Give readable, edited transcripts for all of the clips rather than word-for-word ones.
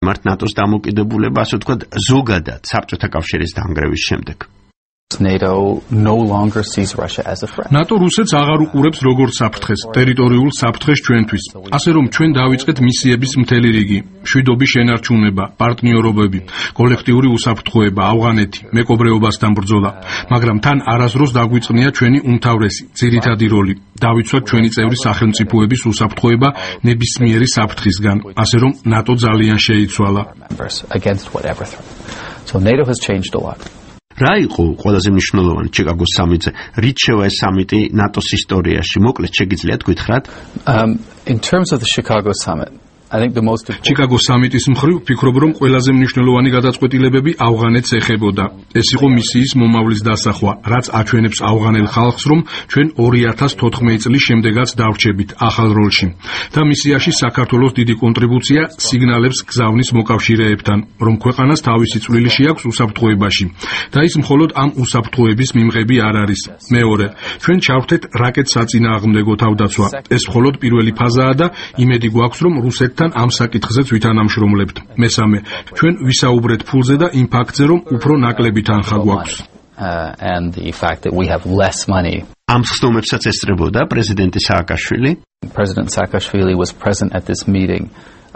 მარტ ნატოს დამოკიდებულება, ასე ვთქვათ, ზოგადად საბჭოთა კავშირის დანგრევის შემდეგ. NATO no longer sees Russia as a threat. NATO რუსეთს აღარ უყურებს როგორც საფრთხეს, ტერიტორიულ საფრთხეს ჩვენთვის. ასე რომ ჩვენ დავიწყეთ მისიების მთელი რიგი: მშვიდობის შენარჩუნება, პარტნიორობები, კოლექტიური უსაფრთხოება, ავღანეთი, მეკობრეობასთან ბრძოლა. მაგრამ თან არასდროს დაგვიწყნია ჩვენი უმთავრესი, ძირითადი როლი: დავიცვათ ჩვენი წევრი სახელმწიფოების უსაფრთხოება ნებისმიერი საფრთხისგან, ასე რომ NATO ძალიან შეიცვალა. So NATO has changed a lot. რა იყო ყველაზე მნიშვნელოვანი ჩიკაგოს სამიტზე? რით შევა ეს სამიტი ნატოს ისტორიაში? მოკლედ შეგიძლიათ გითხრათ? In terms of the Chicago summit, I think the most important ჩიკაგოს სამიტის მხრივ ვფიქრობ, რომ ყველაზე მნიშვნელოვანი გადაწყვეტილებები ავღანეთს ეხებოდა. ეს იყო მისიის მომავლის დასახვა, რაც აჩვენებს ავღანელ ხალხს, რომ ჩვენ 2014 წლის შემდეგაც დავრჩებით ახალ როლში. და მისიაში საქართველოს დიდი კონტრიბუცია სიგნალებს გზავნის მოკავშირეებთან, რომ ქვეყანას თავისი წვლილი შეაქვს უსაფრთხოებაში. და ის მხოლოდ ამ უსაფრთხოების მიმღები არ არის. მეორე, ჩვენ ჩავხვდეთ რაკეტსაწინააღმდეგო თავდაცვა. ეს მხოლოდ პირველი ფაზაა და იმედი გვაქვს, რომ რუსეთთან ამ საკითხზეც ვითანამშრომლებთ. მესამე, ჩვენ ვისაუბრეთ ფულზე და იმ ფაქტზე, რომ უფრო ნაკლები თანხა გვაქვს. and the fact that we have less money. ამ ხსნომებსაც ესწრებოდა პრეზიდენტი სააკაშვილი. President Saakashvili was present at this meeting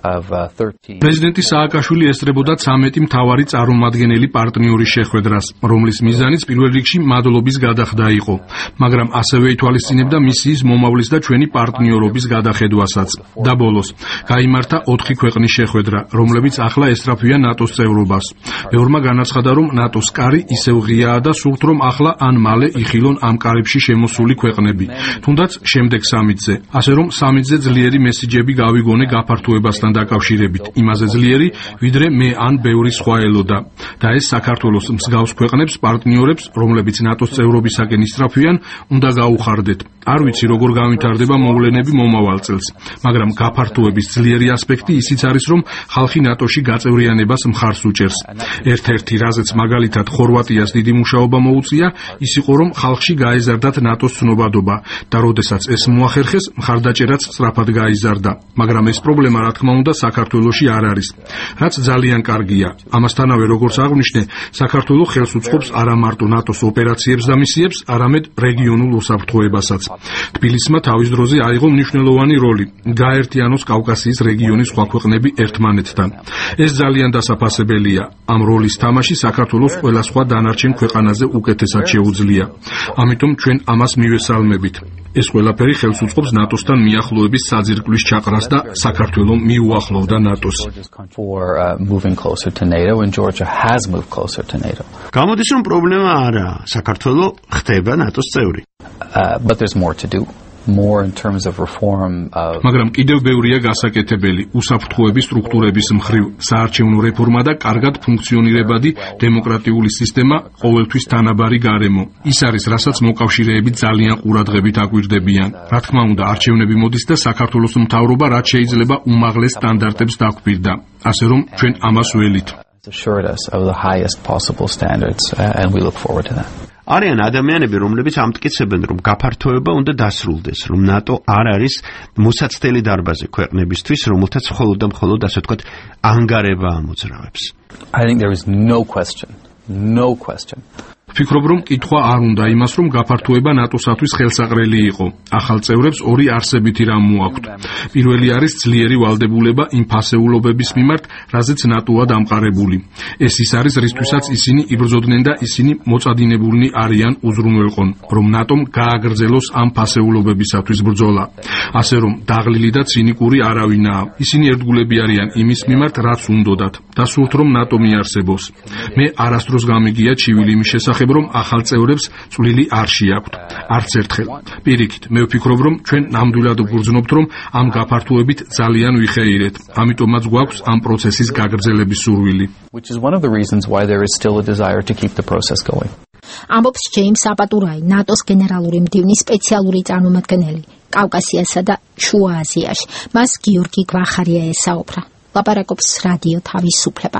of 13. პრეზიდენტი სააკაშვილი ესწრებოდა 13 მთავარი წარმომადგენელი პარტნიორის შეხვედრას, რომლის მიზანიც პირველ რიგში მადლობის გადახდა იყო, მაგრამ ასევე ითვალისწინებდა მისიის მომავლის და ჩვენი პარტნიორობის გადახედვასაც. და ბოლოს, გაიმართა 4 ქვეყნის შეხვედრა, რომლებიც ახლა ესწრაფვიან ნატოს წევრობას. მეორმა განაცხადა, რომ ნატოს კარი ისევ ღიაა და სურთ, რომ ახლა ან მალე იხილონ ამ კარებში შემოსული ქვეყნები. თუნდაც შემდეგ სამიტზე, ასე რომ სამიტზე ძლიერი მესიჯები გავიგონე გაფართოებასთან დაკავშირებით, იმაზე ძლიერი, ვიდრე მე ან ბევრი სხვა ელოდა. და ეს საქართველოს მსგავს ქვეყნებს, პარტნიორებს, რომლებიც ნატოს წევრობისაკენ ისწრაფვიან, უნდა გაუხარდეთ. არ ვიცი, როგორ განვითარდება მოვლენები მომავალ წელს, მაგრამ გაფართოების ძლიერი ასპექტი ისიც არის, რომ ხალხი ნატოში გაწევრიანებას მხარს უჭერს. ერთ-ერთი, რაზეც მაგალითად ხორვატიას დიდი მუშაობა მოუწია, ის იყო, რომ ხალხში გაეზარდათ ნატოს ცნობადობა და როდესაც ეს მოახერხეს, მხარდაჭერაც სწრაფად გაიზარდა. მაგრამ ეს პრობლემა, რა თქმა უნდა, საქართველოში არ არის. რაც ძალიან კარგია. ამასთანავე, როგორც აღვნიშნე, საქართველო ხელს უწყობს არა მარტო ნატოს ოპერაციებს და მისიებს, არამედ რეგიონულ უსაფრთხოებასაც. თბილისმა თავის დროზე აიღო მნიშვნელოვანი როლი, გაერთიანოს კავკასიის რეგიონის სხვა ქვეყნები ერთმანეთთან. ეს ძალიან დასაფასებელია. ამ როლის თამაში საქართველოს ყველა სხვა დანარჩენ ქვეყანაზე უკეთესად შეუძლია. ამიტომ ჩვენ ამას მივესალმებით. ეს ყველაფერი ხელს უწყობს ნატოსთან მიახლოების საძირკვლის ჩაყრას და საქართველო მიუახლოვდა ნატოს. გამოდის, რომ პრობლემა არაა, საქართველო ხდება ნატოს წევრი. But there's more to do. More in terms of reform of მაგრამ კიდევ ბევრია გასაკეთებელი უსაფრთხოების სტრუქტურების მხრივ, საარჩევნო რეფორმა და კარგად ფუნქციონირებადი დემოკრატიული სისტემა, ყოველთვის თანაბარი გარემო. ის არის, რასაც მოკავშირეები ძალიან ყურადღებით აკვირდებიან. რა თქმა უნდა, არჩევნები მოდის და საქართველოს მთავრობა რაც შეიძლება უმაღლეს სტანდარტებს დაგვირდა. ასე რომ ჩვენ ამას ველით. assured us of the highest possible standards and we look forward to that. არიან ადამიანები, რომლებიც ამტკიცებენ, რომ გაფართოება უნდა დასრულდეს, რომ ნატო არ არის მოსაცდელი დარბაზი ქვეყნებისთვის, რომელთაც მხოლოდ და მხოლოდ, ასე ვთქვათ, ანგარება ამოძრავებს. I think there is no question. ვფიქრობ, რომ კითხვა არ უნდა იმას, რომ გაფართოება ნატოსათვის ხელსაყრელი იყო. ახალ წევრებს ორი არსებითი რამ მოაქვთ. პირველი არის ძლიერი ვალდებულება იმ ფასეულობების მიმართ, რაზეც ნატოა დამყარებული. ეს ის არის, რისთვისაც ისინი იბრძოდნენ და ისინი მოწადინებულნი არიან უზრუნველყონ, რომ ნატომ გააგრძელოს ამ ფასეულობებისათვის ბრძოლა. ასე რომ, დაღლილი და ცინიკური არავინაა. ისინი ერთგულები არიან იმის მიმართ, რაც უნდოდათ და სურთ, რომ ნატო მიარსებოს. მე არასდროს გამიგია ჩივილი იმის შესახებ, რომ ახალ წევრებს წვლილი არ შეაქვთ. არც ერთხელ. პირიქით, მე ვფიქრობ, რომ ჩვენ ნამდვილად ვგრძნობთ, რომ ამ გაფართოებით ძალიან ვიხეირეთ. ამიტომაც გვაქვს ამ პროცესის გაგრძელების სურვილი. Which is one of the reasons why there is still a desire to keep the process going. ამბობს ჯეიმს აპატურაი, ნატოს გენერალური მდივნის სპეციალური წარმომადგენელი კავკასიასა და შუა აზიაში. მას გიორგი გვახარია ესაუბრა. ლაპარაკობს რადიო თავისუფლება.